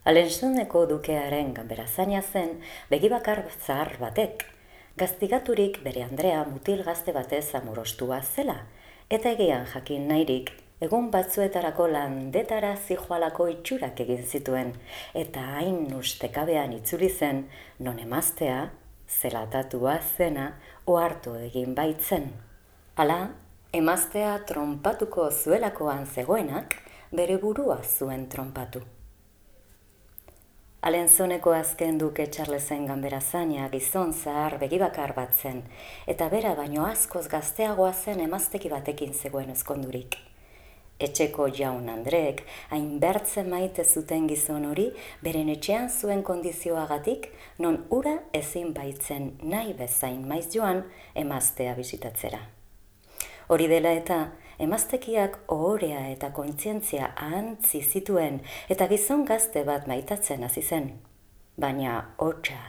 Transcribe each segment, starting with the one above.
Alensoneko dukearen ganberazaina zen begibakar zahar batek, gaztigaturik bere Andrea mutil gazte batez amorostua zela, eta egian jakin nahirik, egun batzuetarako landetara zijoalako itxurak egin zituen, eta hain ustekabean itzuli zen, non emaztea, zelatatua zena, ohartu egin baitzen. Hala, emaztea tronpatuko zuelakoan zegoenak, bere burua zuen tronpatu. Alenzoneko azken duke Charlesen ganberazaina gizon zahar begibakar bat zen, eta bera baino askoz gazteagoa zen emazteki batekin zegoen ezkondurik. Etxeko jaun Andreek hain bertzen maite zuten gizon hori beren etxean zuen kondizioagatik, non ura ezin baitzen nahi bezain maiz joan emaztea bisitatzera. Hori dela eta, emaztekiak ohorea eta kontzientzia ahantzi zituen eta gizon gazte bat maitatzen hasi zen. Baina hotsa,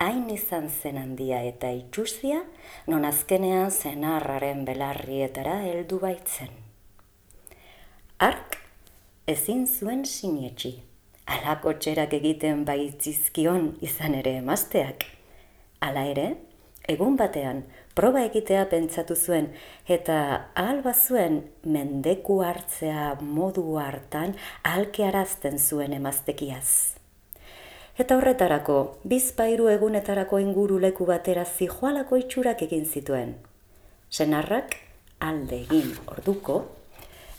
hain izan zen handia eta itxusia, non azkenean senarraren belarrietara heldu baitzen. Hark ezin zuen sinetsi, halako txerak egiten baitzizkion izan ere emazteak. Hala ere, egun batean, proba egitea pentsatu zuen eta ahal bazuen mendeku hartzea modu hartan ahalkearazten zuen emaztekiaz. Eta horretarako, bizpahiru egunetarako inguruleku batera zijoalako itxurak egin zituen. Senarrak alde egin orduko,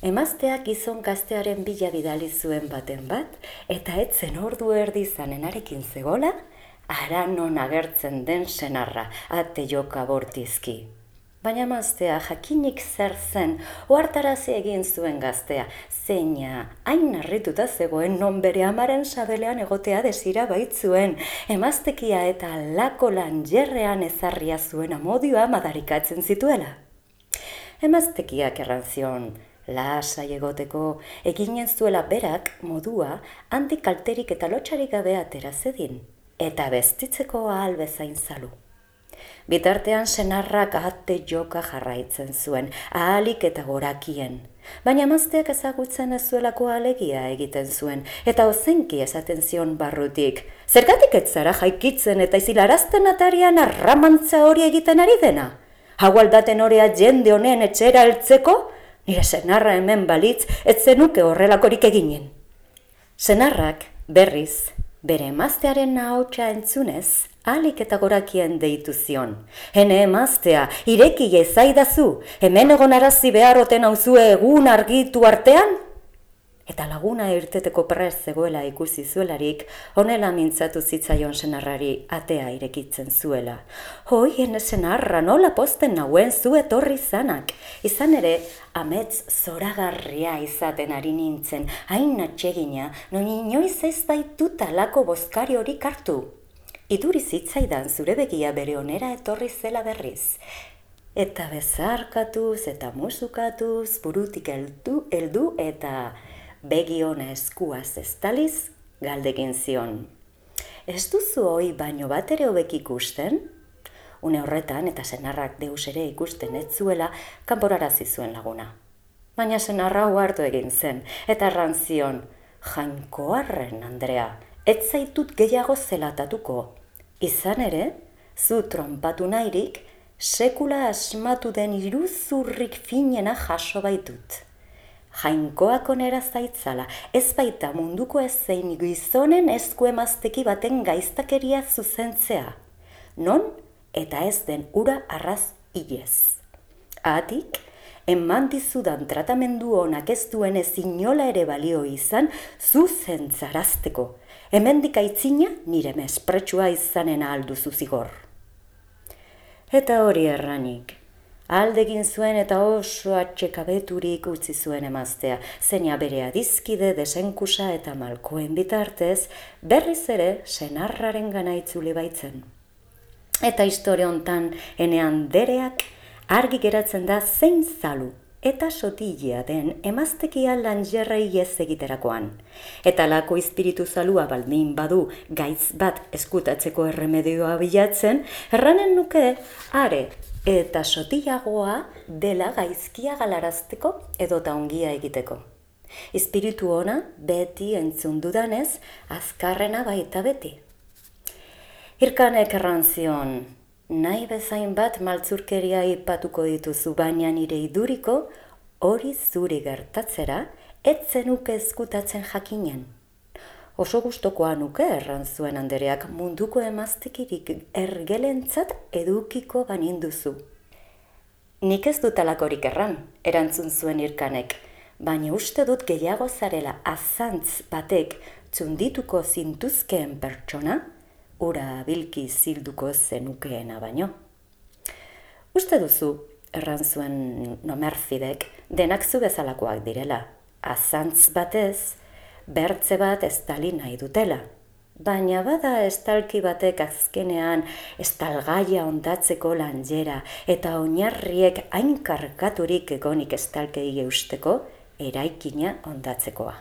emazteak gizon gaztearen bila bidali zuen baten bat, eta etzen ordu erdi zanenarekin zegola, ara non agertzen den senarra, ate joka bortizki. Baina emaztea jakinik zer zen, ohartarazi egin zuen gaztea, zeina hain harrituta zegoen non bere amaren sabelean egotea desira baitzuen, emaztekia eta lako lanjerrean ezarria zuen amodioa madarikatzen zituela. Emaztekiak erran zion, lasai egoteko, eginen zuela berak modua handik kalterik eta lotxarik gabe atera zedin, eta bestitzeko ahal bezain zalu. Bitartean senarrak ate joka jarraitzen zuen, ahalik eta gorakien, baina emazteak ezagutzen ez zuelako alegia egiten zuen, eta ozenki esaten zion barrutik, zergatik ez zara jaikitzen eta izilarazten atarian arramantza hori egiten ari dena? Hau aldaten horea jende honen etxera heltzeko? Nire senarra hemen balitz, ez zenuke horrelakorik eginen. Senarrak, berriz, bere emaztearen ahotsa entzunez, ahalik eta gorakien deitu zion. Hene emaztea, ireki ezaidazu, hemen egonarazi beharroten hauzue egun argitu artean? Eta laguna irteteko prest zegoela ikusi zuelarik, honela mintzatu zitzaion senarrari atea irekitzen zuela. Hoi, hene senarra, nola posten nauen zu etorri zanak. Izan ere, amets zoragarria izaten ari nintzen, hain atsegina, non inoiz ez baitut alako bozkari hori hartu. Iduri zitzaidan zure begia bere onera etorri zela berriz. Eta bezarkatuz eta musukatuz, burutik heldu eta begi ona eskuaz estaliz, galdekin zion. Ez duzu hoi baino bat ere hobek ikusten? Une horretan eta senarrak deus ere ikusten ez zuela kanporarazi zuen laguna. Baina senarra ohartu egin zen, eta erran zion, Jainkoarren, Andrea, ez zaitut gehiago zelatatuko. Izan ere, zu tronpatu nahirik, sekula asmatu den iruzurrik finena jaso baitut. Jainkoak onera zaitzala, ez baita munduko ezein gizonen esku emazteki baten gaiztakeria zuzentzea. Non eta ez den ura arraz hilez. Atik, eman dizudan tratamendu honak ez duen ez inola ere balio izan zuzentzarazteko. Hemendik aitzina nire mespretsua izanen alduzu zigor. Eta hori erranik. Aldegin zuen eta oso atxekabeturik utzi zuen emaztea, zeina bere adizkide, desenkusa eta malkoen bitartez, berriz ere senarraren gana itzuli baitzen. Eta historia hontan ene Andereak argi geratzen da zein zalu eta sotilea den emaztekia lanjerrei ez egiterakoan. Eta lako espiritu zalua baldin badu gaitz bat eskutatzeko erremedioa bilatzen, erranen nuke are eta sotilagoa dela gaizkia galarazteko edota ongia egiteko. Espiritu ona beti entzun dudanez, azkarrena baita beti. Irkanek erran zion, nahi bezain bat maltzurkeria ipatuko dituzu, baina nire iduriko hori zuri gertatzera, ez zenuke ezkutatzen jakinen. Oso gustokoa nuke erran zuen andereak, munduko emaztekirik ergelentzat edukiko baninduzu. Nik ez dut alakorik erran, erantzun zuen Irkanek, baina uste dut gehiago zarela azantz batek txundituko zintuzkeen pertsona, ura bilki zilduko zenukeena baino. Uste duzu, erran zuen Nomerfidek, denak zu bezalakoak direla, azantz batez, bertze bat estali nahi dutela. Baina bada estalki batek azkenean estalgaia ondatzeko lanjera eta oinarriek hain karkaturik egonik estalkei eusteko eraikina ondatzekoa.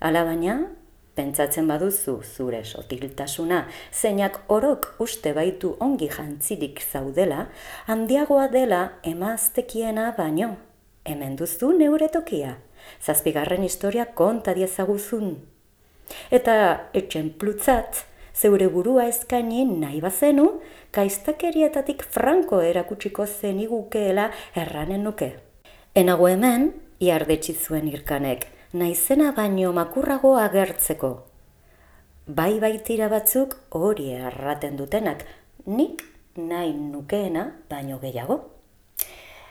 Hala baina, pentsatzen baduzu zure sotiltasuna, zeinak orok uste baitu ongi jantzirik zaudela, handiagoa dela emaztekiena baino. Hemen duzu neure tokia, 7. historia konta diezaguzun. Eta etxenplutzat, zeure burua eskaini nahi bazenu, kaiztakerietatik franko erakutsiko zenigukeela erranen nuke. Enago hemen, iardetsi zuen Irkanek, naizena baino makurrago agertzeko. Bai baitira batzuk hori erraten dutenak, nik nahi nukeena baino gehiago.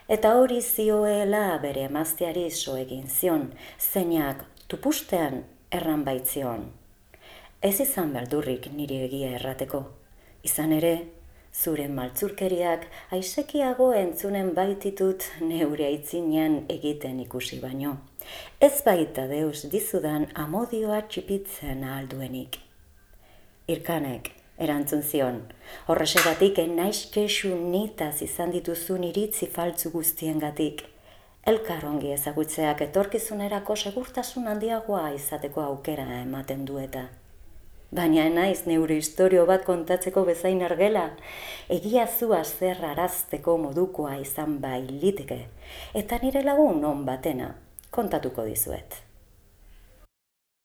Eta hori zioela bere emazteari so egin zion, zeinak tupustean erran baitzion. Ez izan beldurrik niri egia errateko. Izan ere, zure maltzurkeriak aisekiago entzunen baititut neure aitzinean egiten ikusi baino. Ez baita deus dizudan amodioa txipitzen ahalduenik. Irkanek erantzun zion, horrexegatik naiz kexu nitaz izan dituzun iritzi faltzu guztiengatik. Elkar ongi ezagutzeak etorkizunerako segurtasun handiagoa izateko aukera ematen du eta. Baina naiz neure istorio bat kontatzeko bezain argela, egia zua zer arazteko modukoa izan bailiteke, eta nire lagun on batena kontatuko dizuet.